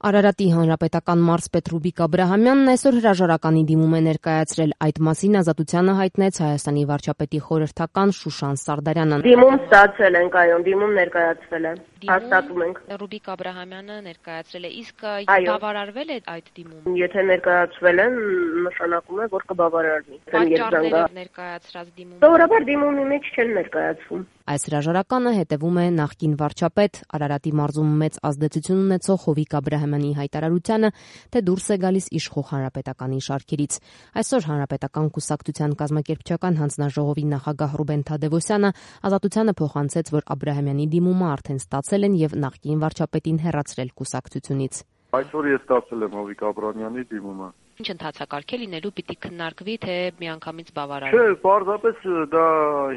Արարատի հանրապետական մարզպետ Ռուբիկ Աբրահամյանն այսօր հրաժարականի դիմում է ներկայացրել. այդ մասին Ազատությանը հայտնեց Հայաստանի վարչապետի խորհրդական Շուշան Սարդարյանը. Դիմում ստացել ենք, այո, դիմում ներկայացվել է, հաստատում ենք։ Ռուբիկ Աբրահամյանը ներկայացրել է, իսկ բավարարվել է այդ դիմում։ Եթե ներկայացվել են, նշանակում է, որ կբավարարվի։ Պատճառները ներկայացրած դիմում։ Սովորաբար դիմումի մեջ չեն ներկայացվում։ Այս հրաժարականը հետևում է նախկին վարչապետ Արարատի մարզում մեծ ազդեցություն ունեցող Հովիկ Աբրահամյանի հայտարարությանը, թե դուրս է գալիս իշխող հանրապետականի շարքերից։ Այսօր հանրապետական կուսակցության կազմակերպչական հանձնաժողովի նախագահ Ռուբեն Թադևոսյանը Ազատությանը փոխանցեց, որ Աբրահամյանի դիմումը արդեն ստացել են եւ նախկին վարչապետին հեռացրել կուսակցությունից։ Այսօր ես ստացել եմ Հովիկ Աբրահամյանի դիմումը։ Ինչ ընթացակարգ է լինելու, պիտի քննարկվի, թե միանգամից բավարարվի։ Չէ, պարզապես դա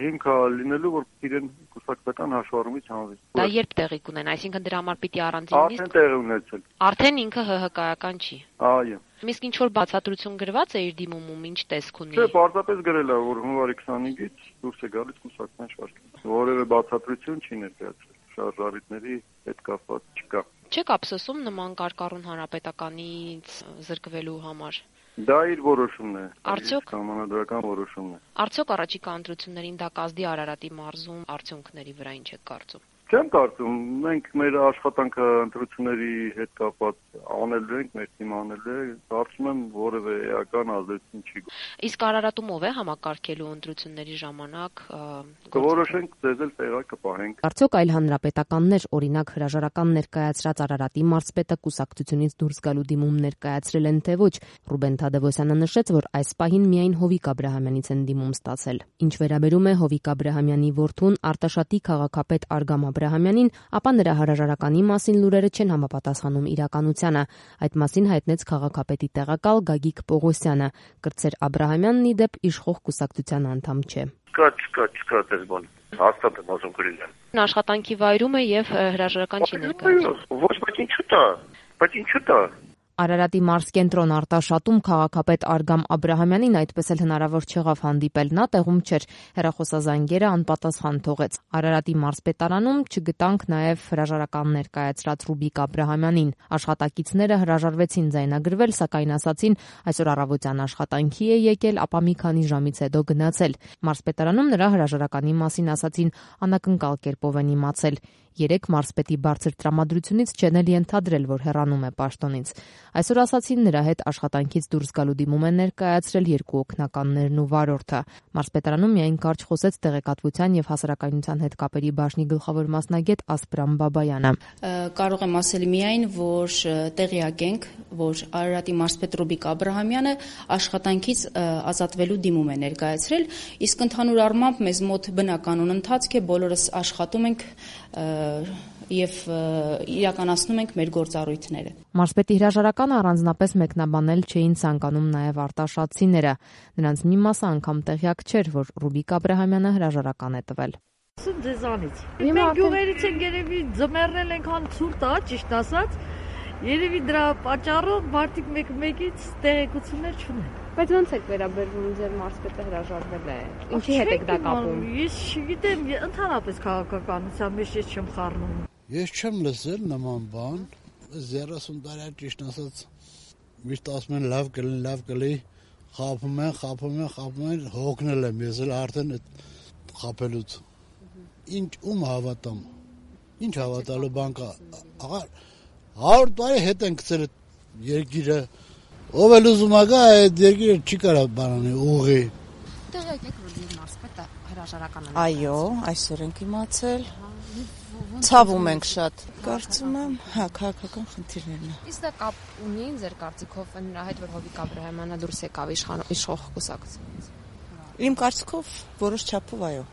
հիմք է լինելու, որ իրեն կուսակցական հաշվառումից հանվի։ Դա երբ տեղի կունենա, այսինքն դրա համար պիտի առանձին նիստ։ Արդեն տեղի ունեցել։ Արդեն ինքը ՀՀԿ-ական չի։ Այո։ Իսկ ինչ որ բացատրություն գրված է իր դիմումում, ինչ տեսք ունի։ Չէ, պարզապես գրել է, որ հունվարի 25-ից դուրս է գալիս կուսակցության շարքից։ Որևէ բացատրություն չի ներկայացրել։ Շարժառիթների հետ կապված չկա։ Չեք ափսոսում նման կարկառուն հանրապետականից զրկվելու համար։ Դա իր որոշումն է։ Արդյոք համանդրական որոշումն է։ Արդյոք առաջիկա ընտրություններին դա կազդի Արարատի մարզում արդյունքների վրա ինչ եք կարծում։ Չեմ կարծում, մենք մեր աշխատանքը ընտրությունների հետ կապված անելու ենք, մեր թիմը անել է, կարծում եմ որևէ էական ազդեցություն չի։ Իսկ Արարատում ով է համակարգելու ընտրությունների ժամանակ կորոշենք, ձեզ էլ տեղակ կպահենք։ Արդյոք այլ հանրապետականներ, օրինակ հրաժարական ներկայացրած Արարատի մարզպետը կուսակցությունից դուրս գալու դիմում ներկայացրել են, թե ոչ։ Ռուբեն Թադևոսյանը նշեց, որ այս պահին միայն Հովիկ Աբրահամյանից են դիմում ստացել։ Ինչ վերաբերում է Հովիկ Աբրահամյանի որդուն Արտաշատի քաղաքապետ Արգամ Աբրահամյանին, ապա նրա հրաժարականի մասին լուրերը չեն համապատասխանում իրականությանը։ Այդ մասին հայտնեց քաղաքապետի տեղակալ Գագիկ Պողոսյանը։ Կրտսեր Աբրահամյանն ի դեպ իշխող կուսակցության անդամ չէ։ Չկա դες բան։ Հաստատ եմ ասում գրել։ Աշխատանքի վայրում է եւ հրաժարական չի ներկայացնում։ Ոչ, բայց ինչու՞ տա։ Արարատի մարզկենտրոն Արտաշատում քաղաքապետ Արգամ Աբրահամյանին այդպես էլ հնարավոր չեղավ հանդիպել, նա տեղում չէր, հեռախոսազանգերը անպատասխան թողեց։ Արարատի մարզպետարանում չգտանք նաև հրաժարական ներկայացրած Ռուբիկ Աբրահամյանին։ Աշխատակիցները հրաժարվեցին ձայնագրվել, սակայն ասացին այսօր առավոտյան աշխատանքի է եկել, ապա մի քանի ժամից հետո գնացել։ Մարզպետարանում նրա հրաժարականի մասին ասացին անակնկալ կերպով են իմացել։ Երեք մարզպետի բարձր տրամադրությունից չեն էլ ենթադրել, որ հեռանում է պաշտոնից։ Այսօր ասացին նրա հետ աշխատանքից դուրս գալու դիմում են ներկայացրել երկու օգնականներն ու վարորդը։ Մարզպետարանում միայն կարճ խոսեց տեղեկատվության եւ հասարակայնության հետ կապերի բաժնի գլխավոր մասնագետ Ասպրամ Բաբայանը։ Կարող եմ ասել միայն, որ տեղյակ ենք, որ Արարատի մարզպետ Ռուբիկ Աբրահամյանը աշխատանքից ազատվելու դիմում է ներկայացրել, իսկ ընդհանուր առմամբ մեզ մոտ բնականon ընթացք է, բոլորս աշխատում ենք եւ իրականացնում ենք մեր գործառույթները։ Մարզպետի հրաժարականը առանձնապես մեկնաբանել չէին ցանկանում նաեւ արտաշատցիները։ Նրանց մի մասը անգամ տեղյակ չէր, որ Ռուբիկ Աբրահամյանը հրաժարական է տվել։ Ասում ձեզանից։ Մենք գյուղերից ենք երևի ձմեռնել ենք հան ցուրտ է, ճիշտ ասած։ Երևի դրա պատճառով մարդիկ մեկ-մեկից տեղեկություններ չունեն։ Բայց ո՞նց եք վերաբերվում ձեր մարզպետը հրաժարվել է։ Ինչի հետ եք դա կապում։ Ես չգիտեմ, ընդհանրապես քաղաքականության մեջ ես չեմ խառնում։ Ես չեմ լսել նման բան, 30 տարի ճիշտ ասած միշտ ասում են լավ կլի, խափում են, հոգնել եմ ես էլ արդեն այդ խափելուց։ Ինչ ում հավատամ։ Ինչ հավատալու բան կա։ Աղա 100 տարի հետ են գցել երկիրը։ Ով էլ ուզում է գա այդ երկիրը չի կարող բանանի ուղի։ Տեղյակ եք, որ ձեր մարզպետը հրաժարական է։ Այո, այսօր ենք իմացել։ Ցավում ենք շատ։ Կարծում եմ, քաղաքական խնդիրներն են։ Իսկ դա կապ ունի ձեր կարծիքով նրա հետ, որ Հովիկ Աբրահամյանը դուրս եկավ իշխող կուսակցությունից։ Իմ կարծիքով որոշ չափով այո։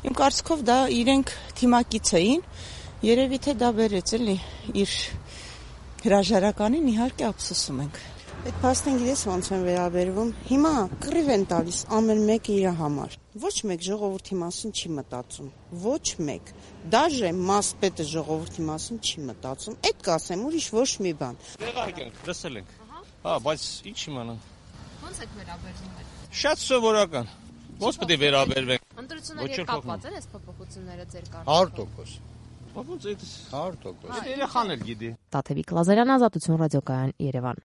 Իմ կարծիքով դա իրենք թիմակից էին, երևի թե դա բերեց էլի իր հրաժարականին, իհարկե ափսոսում ենք։ Այդ փաստին գիտես ոնց են վերաբերվում։ Հիմա կռիվ են տալիս ամեն մեկը իր համար։ Ոչ մեկ ժողովրդի մասին չի մտածում։ Ոչ մեկ։ Դաժե մարզպետը ժողովրդի մասին չի մտածում։ Այդ կասեմ, ուրիշ ոչ մի բան։ Տեղակ ենք, լսել ենք։ Բայց ինչ իմանանք։ Ոնց եք վերաբերվում այդ։ Շատ սովորական։ Ոնց պետք է վերաբերվենք։ Ընտրությունների հետ կապված են այս փոփոխությունները ձեր կարծիքով։ Ոնց է դա 100%։ երեխան էլ գիտի։ Տաթևիկ Լազարյան, Ազատություն ռադիոկայան, Երևան։